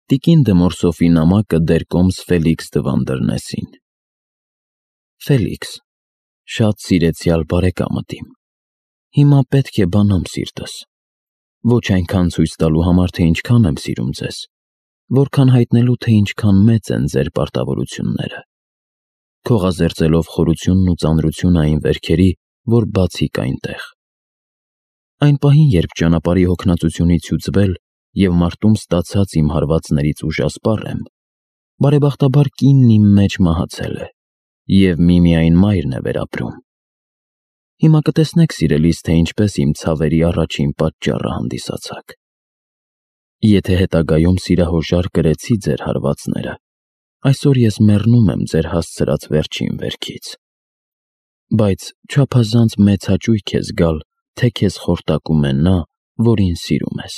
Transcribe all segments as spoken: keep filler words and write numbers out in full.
Տիկին Դմորսոֆի նամակը դեր կոմս Ֆելիքս դվան դռնեսին։ Ֆելիքս, շատ սիրեցյալ բարեկամդ իմ, հիմա պետք է բանամ սիրտս, ոչ այնքան ցույց տալու համար, թե ինչքան եմ սիրում ձեզ, որքան հայտնելու, թե ինչքան մեծ են ձեր պարտավորությունները, քողազերծելով խորությունն ու ծանրությունը այն վերքերի, որ բացիկ այնտեղ։ Այն պահին, երբ ճանապարհի հոգնածությունից հյուծվել և մարտում ստացած իմ հարվածներից ուժասպառ եմ, բարեբախտաբար կինն իմ մեջ մահացել է, և միմիայն մայրն է վերապրում։ Հիմա կտեսնեք, սիրելիս, թե ինչպես իմ ցավերի առաջին պատճառը հանդիսացաք։ Եթե հետագայում սիրահորժար կրեցի ձեր հարվածները, այսօր ես մեռնում եմ ձեր հասցրած վերջին վերքից։ Բայց չափազանց մեծ հաճույք է զգալ, թե քեզ խորտակում է նա, որին սիրում ես։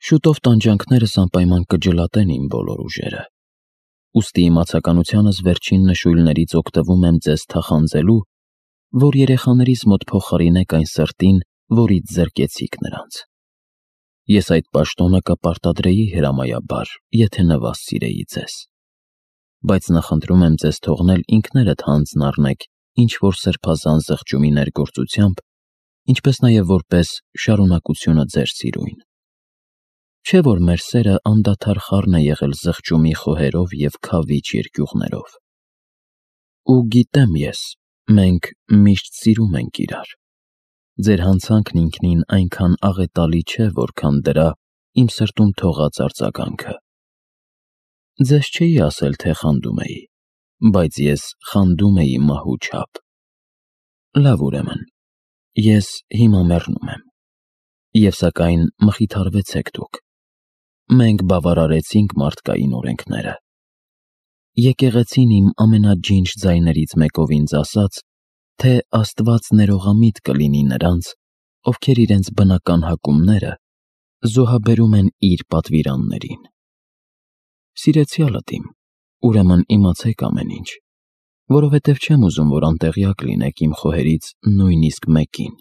Շուտով տանջանքներս անպայման կջլատեն իմ բոլոր ուժերը, ուստի իմացականությանս վերջին նշույլներից օգտվում եմ ձեզ թախանձելու, որ երեխաներիս մոտ փոխարինեք այն սրտին, որից զրկեցիք նրանց։ Ես այդ պաշտոնը կպարտադրեի հրամայաբար, եթե նվազ սիրեի ձեզ։ Բայց նախընտրում եմ ձեզ թողնել ինքներդ հանձն առնեք ինչ-որ սրբազան զղջումի ներգործությամբ, ինչպես նաև որպես շարունակությունը ձեր սիրույն։ Չէ՞ որ մեր սերը անդադար խառն է եղել զղջումի խոհերով և քավիչ երկյուղներով։ Ու գիտեմ ես, մենք միշտ սիրում ենք իրար։ Ձեր հանցանքն ինքնին այնքան աղետալի չէ, որքան դրա իմ սրտում թողած արձագանքը։ Ձեզ չէի ասել, թե խանդում էի, բայց ես խանդում էի մահու չափ։ Լավ, ուրեմն, ես հիմա մեռնում եմ։ Եվ սակայն մխիթարվեցեք դուք։ Մենք բավարարեցինք մարդկային օրենքները։ Եկեղեցին իմ ամենաջինջ ձայներից մեկով ինձ ասաց, թե Աստված ներողամիտ կլինի նրանց, ովքեր իրենց բնական հակումները զոհաբերում են իր պատվիրաններին։ Սիրեցյալդ իմ, ուրեմն իմացեք ամեն ինչ, որովհետև չեմ ուզում, որ անտեղյակ լինեք իմ խոհերից նույնիսկ մեկին։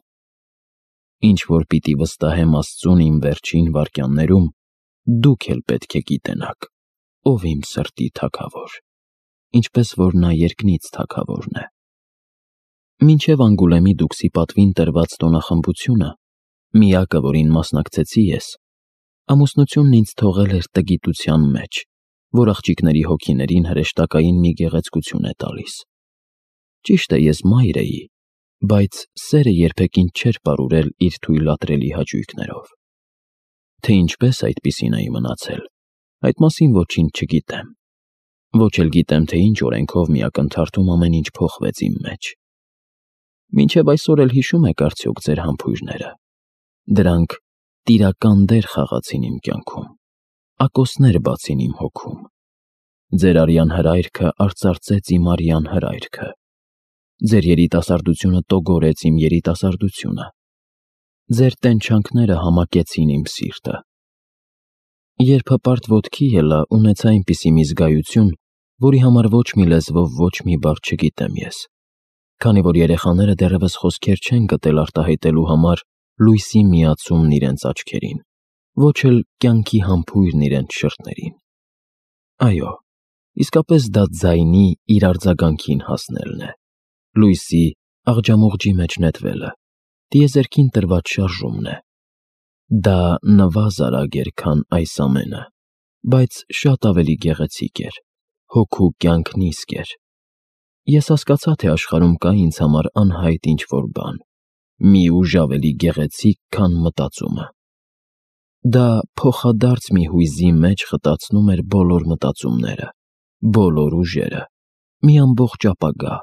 Ինչ որ պիտի վստահեմ Աստծուն իմ վերջին վայրկյաններում, դուք էլ պետք է գիտենաք, ով իմ սրտի թագավոր, ինչպես որ նա երկնից թագավորն է։ Մինչև Անգուլեմի դուքսի պատվին տրված տոնախմբությունը, միակը, որին մասնակցեցի ես, ամուսնությունն ինձ թողել էր տգիտության մեջ, որ աղջիկների հոգիներին հրեշտակային մի գեղեցկություն է տալիս։ Ճիշտ է, ես մայր էի, բայց սերը երբեք ինձ չէր պարուրել իր թույլատրելի հաճույքներով։ Թե ինչպես այդպիսին էի մնացել, այդ մասին ոչինչ չգիտեմ։ Ոչ էլ գիտեմ, թե ինչ օրենքով մի ակնթարթում ամեն ինչ փոխվեց իմ մեջ։ Մինչև այսօր էլ հիշում եք արդյոք ձեր համբույրները։ Դրանք տիրական դեր խաղացին իմ կյանքում, ակոսներ բացին իմ հոգում։ Ձեր արյան հրայրքը արծարծեց իմ արյան հրայրքը։ Ձեր երիտասարդությունը տոգորեց իմ երիտասարդությունը։ Ձեր տենչանքները համակեցին իմ սիրտը։ Երբ հպարտ ոտքի ելա, ունեցա այնպիսի մի զգայություն, որի համար ոչ մի լեզվով ոչ մի բառ չգիտեմ ես, քանի որ երեխաները դեռևս խոսքեր չեն գտել արտահայտելու համար լույսի միացումն իրենց աչքերին, ոչ էլ կյանքի համբույրն իրենց շրթներին։ Այո, իսկապես դա ձայնի իր արձագանքին հասնելն է, լույսի աղջամուղջի մեջ նետվելը, տիեզերքին տրված շարժումն է։ Դա նվազ արագ էր, քան այս ամենը, բայց շատ ավելի գեղեցիկ էր, հոգու կյանք նիսկ էր։ Ես հասկացա, թե աշխարհում կա ինձ համար անհայտ ինչ-որ բան, մի ուժ ավելի գեղեցիկ, քան մտածումը։ Դա փոխադարձ մի հույզի մեջ խտացնում էր բոլոր մտածումները, բոլոր ուժերը, մի ամբողջ ապագա։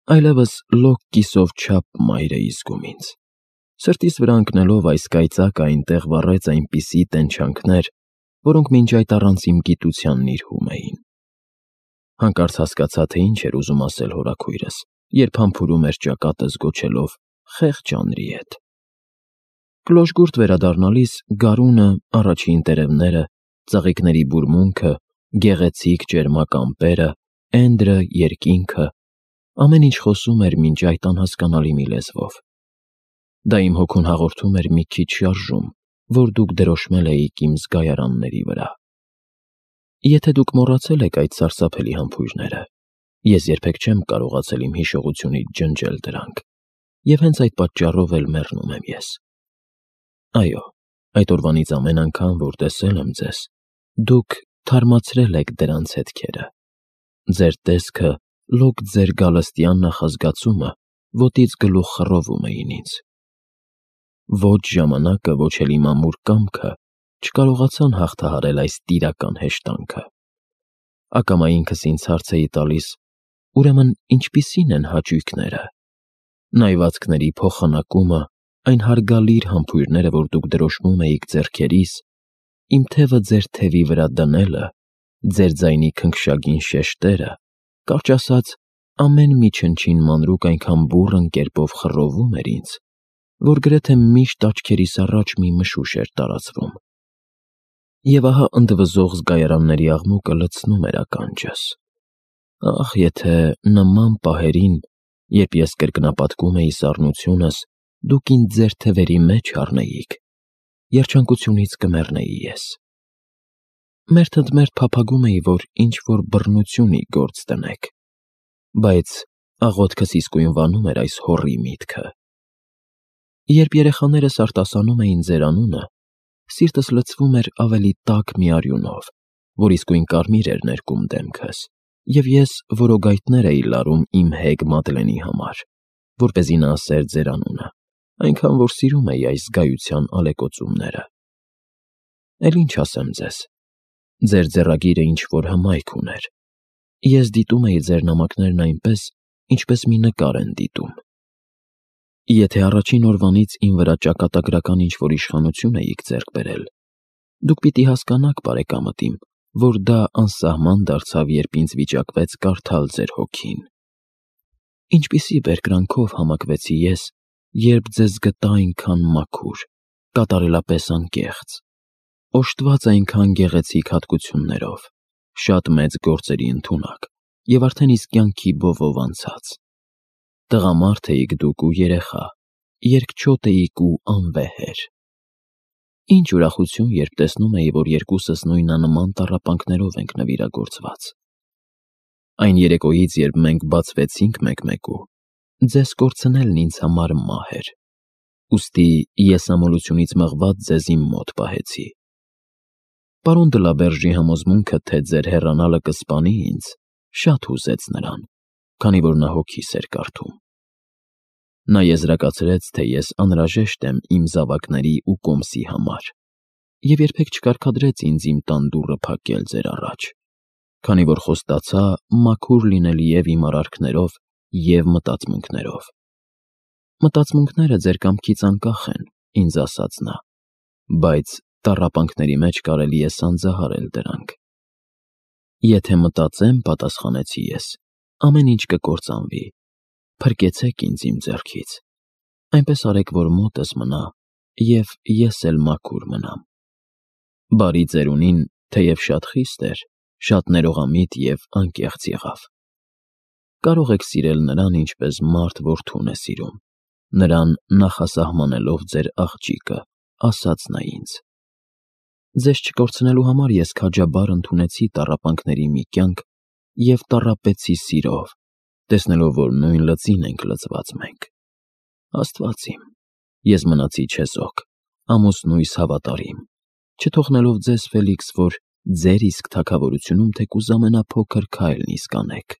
Այլևս լոկ կիսով չափ մայր էի զգում ինձ։ Սրտիս վրա ընկնելով այս կայծակը այնտեղ վառեց այնպիսի տենչանքներ, որոնք մինչ այդ առանց իմ գիտությանն իրհում էին։ Հանկարծ հասկացա, թե ինչ էր ուզում ասել հորաքույրս, երբ համբուրում էր ճակատս գոչելով «խեղճ անրի հետ»։ Կլոժգուրդ վերադառնալիս գարունը, առաջին տերևները, ծաղիկների բուրմունքը, գեղեցիկ ճերմակ ամպերը, էնդրը, երկինքը, ամեն ինչ խոսում էր մինչ այդ անհասկանալի մի լեզվով։ Դա իմ հոգուն հաղորդում էր մի քիչ շարժում, որ դուք դրոշմել էիք իմ զգայարանների վրա։ Եթե դուք մոռացել եք այդ սարսափելի համբույրները, ես երբեք չեմ կարողացել իմ հիշողությունից ջնջել դրանք, և հենց այդ պատճառով էլ մեռնում եմ ես։ Այո, այդ օրվանից ամեն անգամ, որ տեսել եմ ձեզ, դուք թարմացրել եք դրանց հետքերը։ Ձեր տեսքը, լոկ ձեր գալստյան նախազգացումը ոտից գլուխ խռովում էին ինձ։ Ոչ ժամանակը, ոչ էլ իմ ամուր կամքը չկարողացան հաղթահարել այս տիրական հեշտանքը։ Ակամա ինքս ինձ հարց էի տալիս, ուրեմն ինչպիսի՞ն են հաճույքները։ Նայվածքների փոխանակումը, այն հարգալիր համբույրները, որ դուք դրոշմում էիք ձեռքերիս, իմ թևը ձեր թևի վրա դնելը, ձեր ձայնի քնքշագին շեշտերը, կարճ ասած, ամեն մի չնչին մանրուք այնքան բուռն կերպով խռովում էր ինձ, որ գրեթե միշտ աչքերիս առաջ մի մշուշ էր տարածվում։ Եվ ահա ընդվզող զգայարանների աղմուկը լցնում էր ականջս։ Ախ, եթե նման պահերին, երբ ես կրկնապատկում էի սառնությունս, դուք ինձ ձեր թևերի մեջ առնեիք, երջանկությունից կմեռնեի ես։ Մերթ ընդ մերթ փափագում էի, որ ինչ-որ բռնություն ի գործ դնեք, բայց աղոթքս իսկույն վանում էր այս հոռի միտքը։ Երբ երեխաներս արտասանում էին ձեր անունը, սիրտս լցվում էր ավելի տաք մի արյունով, որ իսկույն կարմիր էր ներկում դեմքս, և ես որոգայթներ էի լարում իմ հեգ Մադլենի համար, որպեսզի նա ասեր ձեր անունը, այնքան որ սիրում էի այս զգայության ալեկոծումները։ Էլ ինչ ասեմ ձեզ, ձեր ձեռագիրը ինչ-որ հմայք ուներ։ Ես դիտում էի ձեր նամակներն այնպես, ինչպես մի նկար են դիտում։ Եթե առաջին օրվանից իմ վրա ճակատագրական ինչ-որ իշխանություն էիք ձեռք բերել, դուք պիտի հասկանաք, բարեկամդ իմ, որ դա անսահման դարձավ, երբ ինձ վիճակվեց կարդալ ձեր հոգին։ Ինչպիսի բերկրանքով համակվեցի ես, երբ ձեզ գտա այնքան մաքուր, կատարելապես անկեղծ, օժտված այնքան գեղեցիկ հատկություններով, շատ մեծ գործերի ընդունակ և արդեն իսկ կյանքի բովով անցած։ Տղամարդ էիք դուք ու երեխա, երկչոտ էիք ու անվեհեր։ Ինչ ուրախություն, երբ տեսնում էի, որ երկուսս նույնանման տառապանքներով ենք նվիրագործված։ Այն երեկոյից, երբ մենք բացվեցինք մեկ-մեկու, ձեզ կորցնելն ինձ համար մահ էր, ուստի ես ամոլությունից մղված ձեզ իմ մոտ պահեցի։ Պարոն դը Լաբերժի համոզմունքը, թե ձեր հեռանալը կսպանի ինձ, շատ հուզեց նրան, քանի որ նա հոգիս էր կարդում։ Նա եզրակացրեց, թե ես անհրաժեշտ եմ իմ զավակների ու կոմսի համար, և երբեք չկարգադրեց ինձ իմ տան դուռը փակել ձեր առաջ, քանի որ խոստացա մաքուր լինել և իմ արարքներով, և մտածմունքներով։ Մտածմունքները ձեր կամքից անկախ են, ինձ ասաց նա, բայց տառապանքների մեջ կարելի է սանձահարել դրանք։ Եթե մտածեմ, պատասխանեցի ես, ամեն ինչ կկործանվի, փրկեցեք ինձ իմ ձեռքից, այնպես արեք, որ մոտս մնա, և ես էլ մաքուր մնամ։ Բարի ծերունին, թեև շատ խիստ էր, շատ ներողամիտ և անկեղծ եղավ։ Կարող եք սիրել նրան, ինչպես մարդ որդուն է սիրում, նրան նախասահմանելով ձեր աղջիկը, ասաց նա ինձ։ Ձեզ չկորցնելու համար ես քաջաբար ընդունեցի տառապանքների մի կյանք և տառապեցի սիրով, տեսնելով, որ նույն լծին ենք լծված մենք։ Աստված իմ, ես մնացի չեզոք, ամուսնույս հավատարիմ, չթողնելով ձեզ, Ֆելիքս, որ ձեր իսկ թագավորությունում թեկուզ ամենափոքր քայլն իսկ անեք։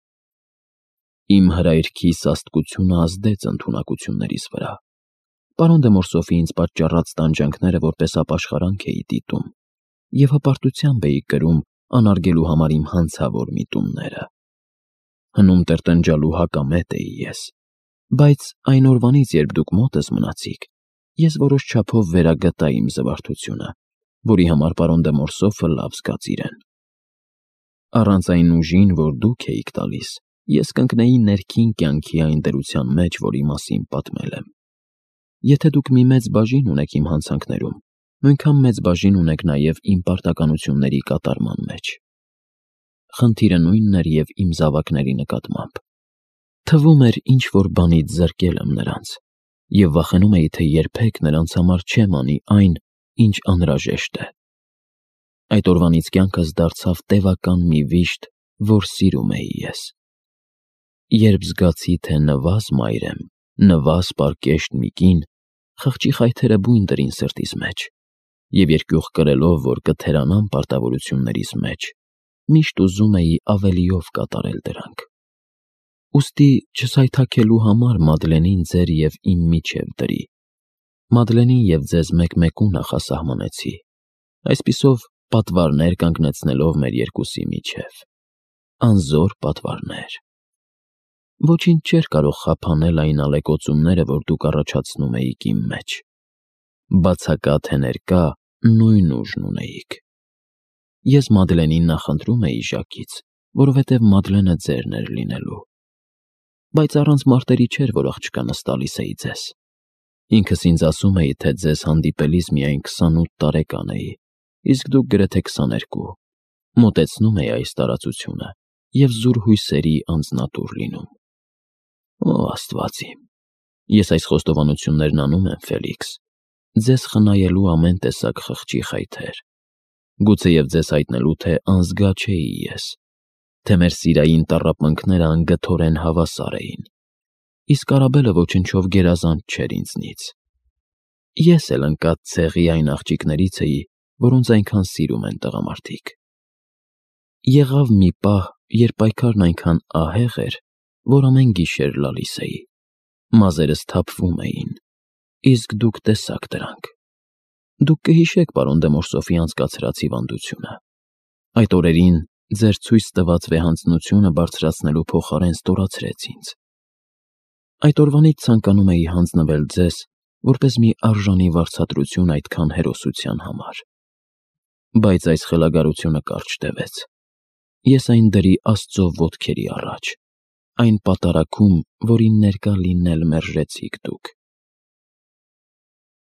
Իմ հրայրքի սաստկությունը ազդեց ընդունակություններիս վրա։ Պարոն դե Մորսոֆի ինձ պատճառած տանջանքները որպես ապաշխարանք էի դիտում, և հպարտությամբ էի կրում անարգելու համար իմ հանցավոր միտումները։ Հնում տրտնջալու հակամետ էի ես, բայց այն օրվանից, երբ դուք մոտս մնացիք, ես որոշ չափով վերագտա իմ զվարթությունը, որի համար պարոն դե Մորսոֆը լավ զգաց իրեն։ Առանց այն ուժին, որ դուք էիք տալիս, ես կընկնեի ներքին կյանքի այն դրության մեջ, որի մասին պատմել եմ։ Եթե դուք մի մեծ բաժին ունեք իմ հանցանքներում, նույնքան մեծ բաժին ունեք նաև իմ պարտականությունների կատարման մեջ։ Խնդիրը նույնն էր և իմ զավակների նկատմամբ։ Թվում էր ինչ-որ բանից զրկել եմ նրանց, և վախենում էի, թե երբեք նրանց համար չեմ անի այն, ինչ անհրաժեշտ է։ Այդ օրվանից կյանքս դարձավ տևական մի վիշտ, որ սիրում էի ես։ Երբ զգացի, թե նվազ մայր եմ, նվազ պարկեշտ մի կին, խղճի խայթերը բույն դրին սրտիս մեջ, և երկյուղ կրելով, որ կթերանամ պարտավորություններիս մեջ, միշտ ուզում էի ավելիով կատարել դրանք։ Ուստի չսայթաքելու համար Մադլենին ձեր և իմ միջև դրի։ Մադլենին և ձեզ մեկ-մեկու նախասահմանեցի, այսպիսով պատվարներ կանգնեցնելով մեր երկուսի միջև, անզոր պատվարներ։ Ոչինչ չէր կարող խափանել այն ալեկոծումները, որ դուք առաջացնում էիք իմ մեջ։ Բացակա թե ներկա, նույն ուժն ունեիք։ Ես Մադլենին նախընտրում էի Ժակից, որովհետև Մադլենը ձերն էր լինելու։ Բայց առանց մարտերի չէր, որ աղջկանս տալիս էի ձեզ։ Ինքս ինձ ասում էի, թե ձեզ հանդիպելիս միայն քսանութ տարեկան էի, իսկ դուք գրեթե քսաներկու։ Մոտեցնում էի այս տարածությունը և զուր հույսերի անձնատուր լինում։ Օ, Աստված իմ, ես այս խոստովանություններն անում եմ, Ֆելիքս, ձեզ խնայելու ամեն տեսակ խղճի խայթեր, գուցեև ձեզ հայտնելու, թե անզգա չէի ես, թե մեր սիրային տառապանքները անգթորեն հավասար էին, իսկ Արաբելը ոչնչով գերազանց չէր ինձնից։ Ես էլ ընկած ցեղի այն աղջիկներից էի, որոնց այնքան սիրում են տղամարդիկ։ Եղավ մի պահ, երբ պայքարն այնքան ահեղ էր, որ ամեն գիշեր լալիս էի, մազերս թափվում էին, իսկ դուք տեսաք դրանք։ Դուք կհիշեք պարոն դե Մորսոֆի անցկացրած հիվանդությունը։ Այդ օրերին ձեր ցույց տված վեհանձնությունը բարձրացնելու փոխարեն ստորացրեց ինձ։ Այդ օրվանից ցանկանում էի հանձնվել ձեզ, որպես մի արժանի վարձատրություն այդքան հերոսության համար։ Բայց այս խելագարությունը կարճ տևեց։ Ես այն դրի Աստծո ոտքերի առաջ, այն պատարագում, որին ներկա լինել մերժեցիք դուք։